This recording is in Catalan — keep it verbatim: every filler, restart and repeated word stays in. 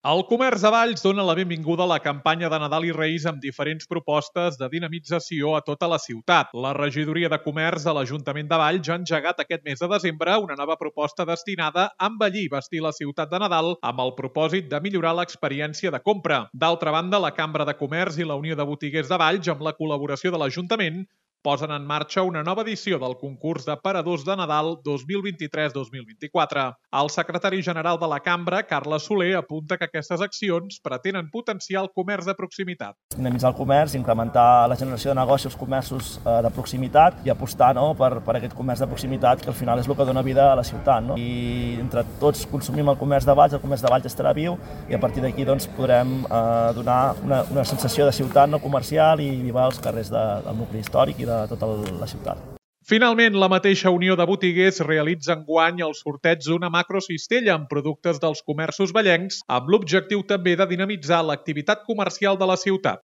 El Comerç de Valls dona la benvinguda a la campanya de Nadal i Reis amb diferents propostes de dinamització a tota la ciutat. La regidoria de Comerç de l'Ajuntament de Valls ja ha engegat aquest mes de desembre una nova proposta destinada a embellir i vestir la ciutat de Nadal amb el propòsit de millorar l'experiència de compra. D'altra banda, la Cambra de Comerç i la Unió de Botiguers de Valls, amb la col·laboració de l'Ajuntament, posen en marxa una nova edició del concurs d'aparadors de Nadal dos mil vint-i-tres dos mil vint-i-quatre. El secretari general de la Cambra, Carles Soler, apunta que aquestes accions pretenen potenciar el comerç de proximitat. Dinamitzar el comerç, incrementar la generació de negoci als comerços eh, de proximitat i apostar no, per, per aquest comerç de proximitat que al final és el que dona vida a la ciutat. No? I entre tots consumim el comerç de Valls, el comerç de Valls estarà viu i a partir d'aquí doncs, podrem eh, donar una, una sensació de ciutat no comercial i vivar als carrers de, del nucli històric i de tota la ciutat. Finalment, la mateixa Unió de Botiguers realitza enguany el sorteig d'una macrocistella amb productes dels comerços vallencs amb l'objectiu també de dinamitzar l'activitat comercial de la ciutat.